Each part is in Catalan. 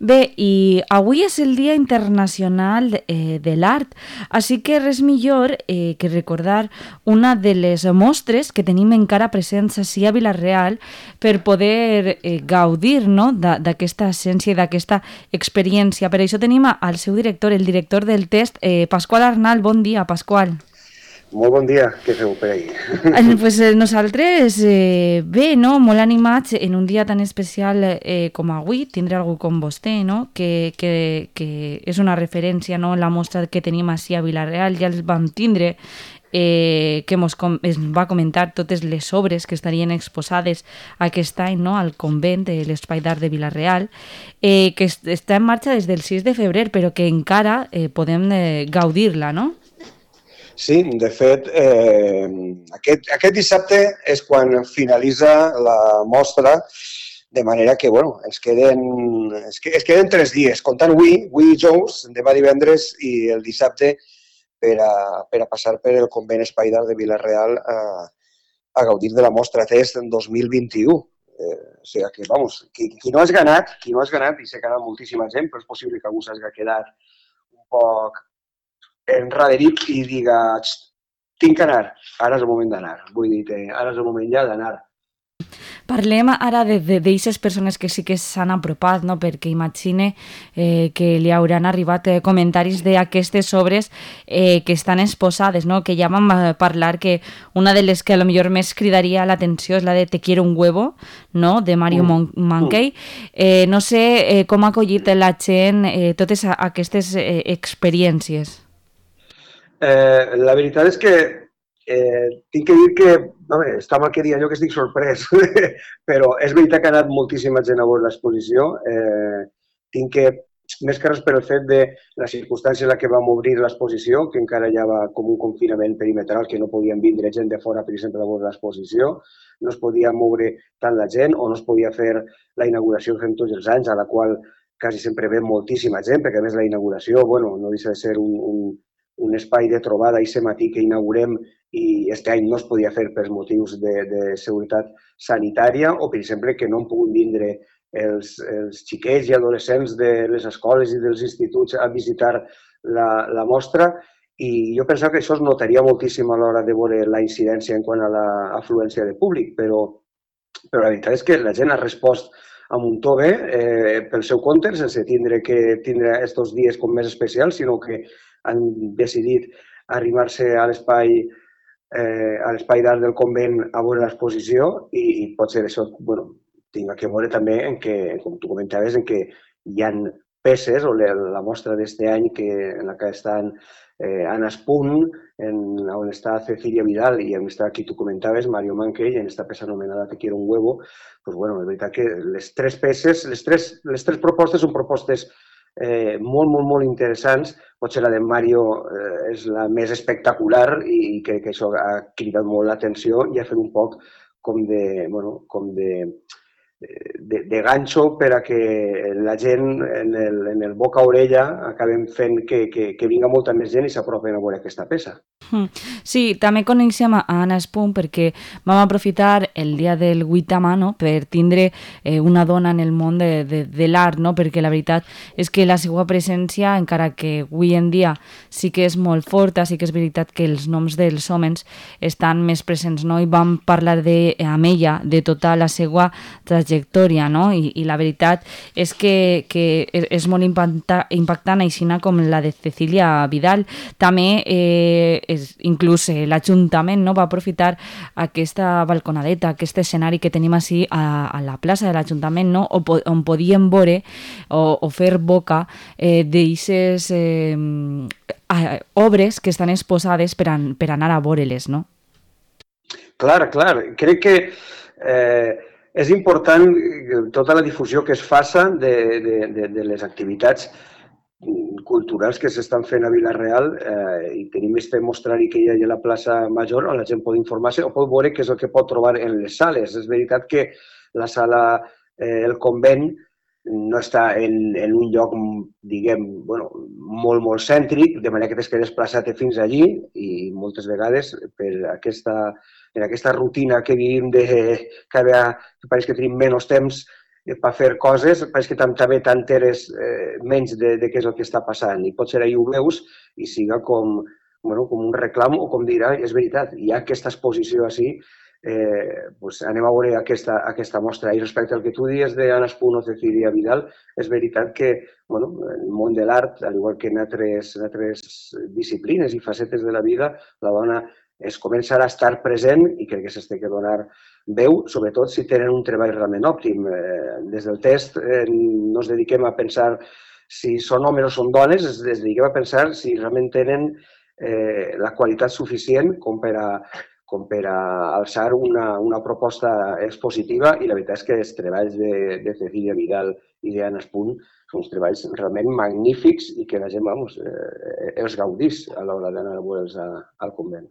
Bé, i avui és el Dia Internacional de l'Art, així que res millor que recordar una de les mostres que tenim encara presents ací a Vila-real per poder gaudir, no?, d'aquesta essència i d'aquesta experiència. Per això tenim al seu director, el director del test, Pasqual Arnal. Bon dia, Pasqual. Molt bon dia, què feu per ahí? Pues nosaltres, bé, no? Molt animats en un dia tan especial com avui, tindre algú com vostè, no? Que és una referència, no? La mostra que tenim així a Vila-real, ja els vam tindre, que es va comentar totes les obres que estarien exposades aquest any, no? Al convent de l'Espai d'Art de Vila-real, que està en marxa des del 6 de febrer, però que encara podem gaudir-la, no? Sí, de fet, aquest dissabte és quan finalitza la mostra, de manera que, bueno, es queden 3 dies, comptant avui dijous, demà divendres i el dissabte per a passar per el convent Espai d'Art de Vila-real a gaudir de la mostra Test en 2021. O sigui que, vamos, qui no has ganat, i sé que ha anat moltíssima gent, però és possible que algú s'hagi quedat un poc enraderit i diga, tinc que anar, ara és el moment d'anar. Vull dir, ara és el moment ja d'anar. Parlem ara d'aquestes persones que sí que s'han apropat, no? Perquè imagine que li hauran arribat comentaris d'aquestes obres que estan exposades, no? Que ja vam parlar que una de les que potser més cridaria l'atenció és la de Te quiero un huevo, no? De Mario Mankey. No sé com ha acollit la gent totes aquestes experiències. La veritat és que tinc que dir que, home, està mal que dir allò que estic sorprès, però és veritat que ha anat moltíssima gent a veure l'exposició. Tinc que, més que res per el fet de la circumstància en la que vam obrir l'exposició, que encara hi havia com un confinament perimetral, que no podien vindre gent de fora, per exemple, a veure l'exposició, no es podia moure tant la gent o no es podia fer la inauguració que fem tots els anys, a la qual quasi sempre ve moltíssima gent, perquè a més la inauguració, bueno, no deixa de ser un espai de trobada i matí que inaugurem i aquest any no es podia fer per motius de seguretat sanitària o, per exemple, que no han pogut vindre els xiquets i adolescents de les escoles i dels instituts a visitar la mostra i jo pensava que això es notaria moltíssim a l'hora de veure la incidència en quant a l'afluència de públic, però la veritat és que la gent ha respost amb un to bé pel seu compte, sense tindre aquests dies com més especials, sinó que han decidit arribar-se a l'espai d'art del convent a veure l'exposició i potser això, bueno, tinc que veure també en què, com tu comentaves, en què hi ha peces, o la mostra d'este any en la que estan Anna Spunt, on està Cecilia Vidal i on està qui tu comentaves, Mario Mankey, en esta peça anomenada Te quiero un huevo, doncs, bueno, és veritat que les tres peces, les tres propostes són propostes molt interessants. Potser la de Mario és la més espectacular i crec que això ha cridat molt l'atenció i ha fet un poc com de ganxo per a que la gent en el boca-orella acabem fent que vinga molta més gent i s'apropen a veure aquesta peça. Sí, també coneixem a Anna Spunt perquè vam aprofitar el dia del 8 de mà, no?, per tindre una dona en el món de l'art, no?, perquè la veritat és que la seva presència, encara que avui en dia sí que és molt forta, sí que és veritat que els noms dels homes estan més presents, no?, i vam parlar amb ella de tota la seva trajectòria, no?, i la veritat és que és molt impactant, així com la de Cecilia Vidal. També inclús l'Ajuntament, no, va aprofitar aquesta balconadeta, aquest escenari que tenim així a la plaça de l'Ajuntament, no, on podíem veure o fer boca d'eixes obres que estan exposades per anar a veure-les, no? Clar. Crec que és important tota la difusió que es faça de les activitats culturals que s'estan fent a Vila-real i tenim este mostrari que hi ha a la plaça Major on la gent pot informar-se o pot veure què és el que pot trobar en les sales. És veritat que la sala El Convent no està en un lloc, diguem, molt cèntric, de manera que tens que desplaçar-te fins allí i moltes vegades per aquesta rutina que vivim que pareix que tenim menys temps per fer coses, però és que també t'enteres menys de què és el que està passant. I potser ahir ho veus i siga com un reclam o com dir, és veritat, hi ha aquesta exposició així, doncs anem a veure aquesta mostra. I respecte al que tu dies d'Anna Espun o Cecilia Vidal, és veritat que en el món de l'art, al igual que en altres disciplines i facetes de la vida, la dona es comença a estar present i crec que s'ha de donar veu, sobretot si tenen un treball realment òptim. Des del test no ens dediquem a pensar si són homes o són dones, ens dediquem a pensar si realment tenen la qualitat suficient com per a alçar una proposta expositiva, i la veritat és que els treballs de Cecilia Vidal i d'Anna Espun són uns treballs realment magnífics i que la gent els gaudís a l'hora d'anar a veure'ls al convent.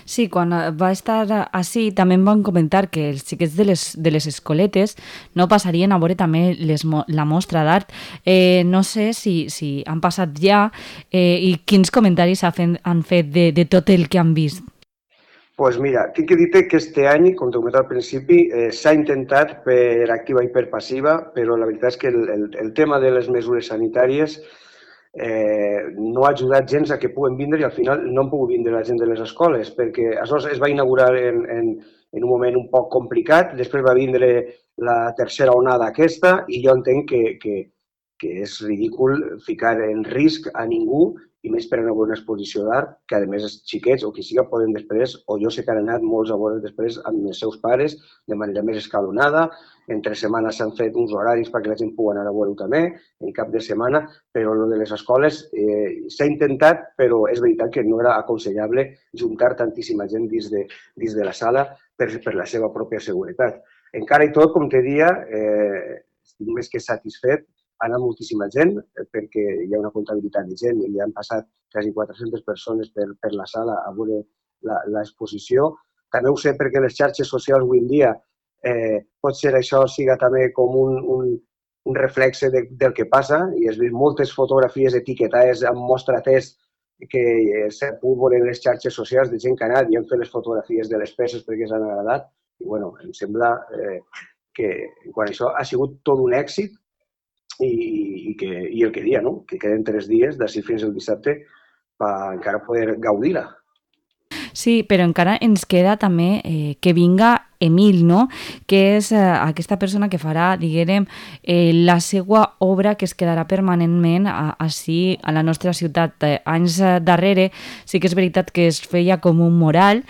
Sí, quan va estar així també em van comentar que els xiquets de les escoletes no passarien a veure també la mostra d'art. No sé si han passat ja i quins comentaris han fet de tot el que han vist. Doncs mira, tinc que dir-te que este any, com t'he comentat al principi, s'ha intentat per activa i per passiva, però la veritat és que el tema de les mesures sanitàries no ha ajudat gens a que puguen vindre i al final no han pogut vindre la gent de les escoles, perquè això es va inaugurar en un moment un poc complicat, després va vindre la tercera onada aquesta i jo entenc que és ridícul ficar en risc a ningú, i més per anar a veure una exposició d'art, que a més els xiquets o qui siga poden després, o jo sé que han anat molts a veure després amb els seus pares de manera més escalonada, entre setmanes s'han fet uns horaris perquè la gent pugui anar a veure-ho també, en cap de setmana, però el de les escoles s'ha intentat, però és veritat que no era aconsellable juntar tantíssima gent dins de la sala per la seva pròpia seguretat. Encara i tot, com te deia, estic més que satisfet, ha anat moltíssima gent perquè hi ha una comptabilitat de gent i han passat quasi 400 persones per la sala a veure l'exposició. També ho sé perquè les xarxes socials avui en dia potser això siga també com un reflexe del que passa i has vist moltes fotografies etiquetades amb mostra test que s'ha pogut veure en les xarxes socials de gent que ha anat i han fet les fotografies de les peces perquè els han agradat i bueno, em sembla que quan això ha sigut tot un èxit i el que dia, no? Que queden 3 dies d'ací fins al dissabte per encara poder gaudir-la. Sí, però encara ens queda també que vinga Emil, no? Que és aquesta persona que farà, diguem, la seva obra que es quedarà permanentment així a la nostra ciutat. Anys darrere sí que és veritat que es feia com un mural,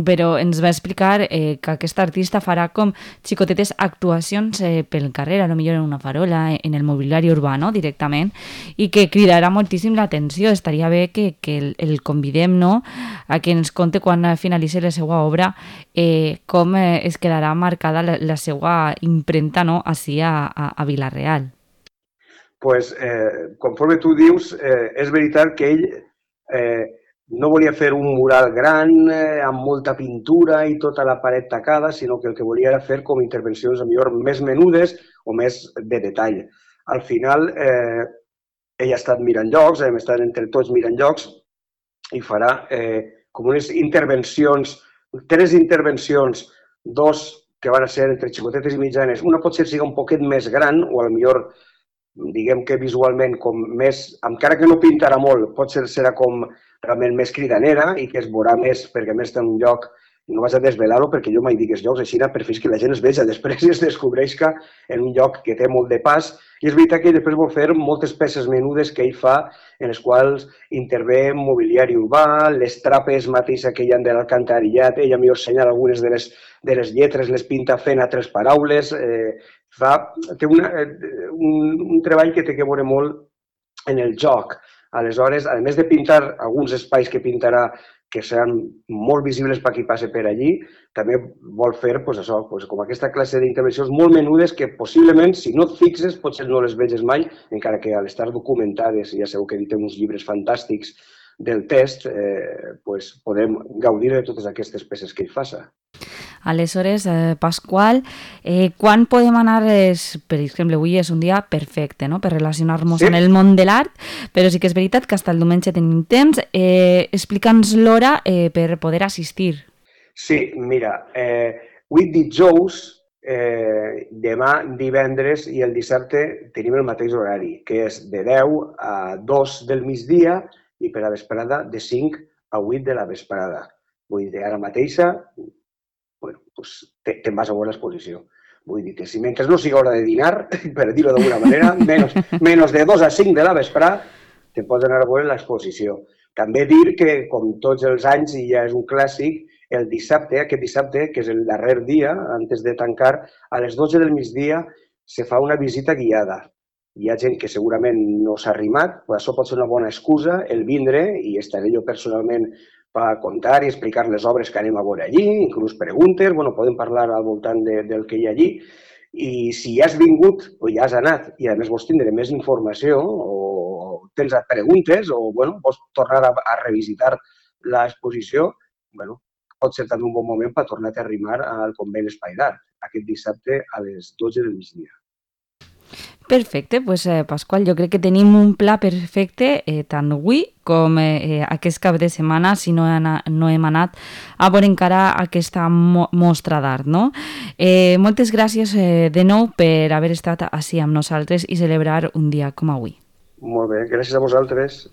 però ens va explicar que aquest artista farà com xicotetes actuacions pel carrer, potser en una farola, en el mobiliari urbà, no? Directament, i que cridarà moltíssim l'atenció. Estaria bé que el convidem, no? A que ens conte quan finalitzi la seva obra com es quedarà marcada la seva impremta, no? Així a Vila-real. Pues, conforme tu dius, és veritat que ell no volia fer un mural gran, amb molta pintura i tota la paret tacada, sinó que el que volia era fer com intervencions millor més menudes o més de detall. Al final, ell ha estat mirant llocs, hem estat entre tots mirant llocs i farà com unes intervencions, 3 intervencions, 2 que van a ser entre xicotetes i mitjanes. Una potser siga un poquet més gran o potser diguem que visualment com més, encara que no pintarà molt, potser serà com realment més cridanera i que es veurà més perquè a més està en un lloc, no vas a desvelar-ho perquè jo mai dic els llocs així per fins que la gent es veja, després es descobreix que en un lloc que té molt de pas i és veritat que ell després vol fer moltes peces menudes que ell fa en les quals intervé mobiliari urbà, les trapes mateixa que hi ha de l'alcantarillat, ella millor assenyala algunes de les lletres, les pinta fent altres paraules, té un treball que té que veure molt en el joc. Aleshores, a més de pintar alguns espais que pintarà que seran molt visibles per qui passe per allí, també vol fer això, com aquesta classe d'intervencions molt menudes que possiblement, si no et fixes, potser no les veges mai, encara que a l'estar documentades, ja sabeu que editem uns llibres fantàstics del test, podem gaudir de totes aquestes peces que ell faça. Aleshores, Pasqual, quan podem anar, per exemple, avui és un dia perfecte, no?, per relacionar-nos amb el món de l'art, però sí que és veritat que fins el diumenge tenim temps. Explica'ns l'hora per poder assistir. Sí, mira, avui dijous demà, divendres i el dissabte tenim el mateix horari, que és de 10 a 2 del migdia i per a vesprada de 5 a 8 de la vesprada. Vull dir, ara mateixa, bueno, doncs te'n vas a veure l'exposició. Vull dir que si mentre no sigui hora de dinar, per dir-ho d'alguna manera, menys de 2 a 5 de la vesprada, te pots anar a veure l'exposició. També dir que, com tots els anys, i ja és un clàssic, el dissabte, aquest dissabte, que és el darrer dia, antes de tancar, a les 12 del migdia se fa una visita guiada. Hi ha gent que segurament no s'ha arrimat, però això pot ser una bona excusa, el vindre, i estaré jo personalment per contar i explicar les obres que anem a veure allí, inclús preguntes, bueno, podem parlar al voltant del que hi ha allí. I si ja has vingut o ja has anat i a més vols tindre més informació o tens preguntes o bueno, vols tornar a revisitar l'exposició, bueno, pot ser també un bon moment per tornar a arrimar al convent Espai d'Art, aquest dissabte a les 12 del migdia. Perfecte, doncs Pasqual, jo crec que tenim un pla perfecte tant avui com aquest cap de setmana, si no hem anat a veure encara aquesta mostra d'art, no? Moltes gràcies de nou per haver estat així amb nosaltres i celebrar un dia com avui. Molt bé, gràcies a vosaltres.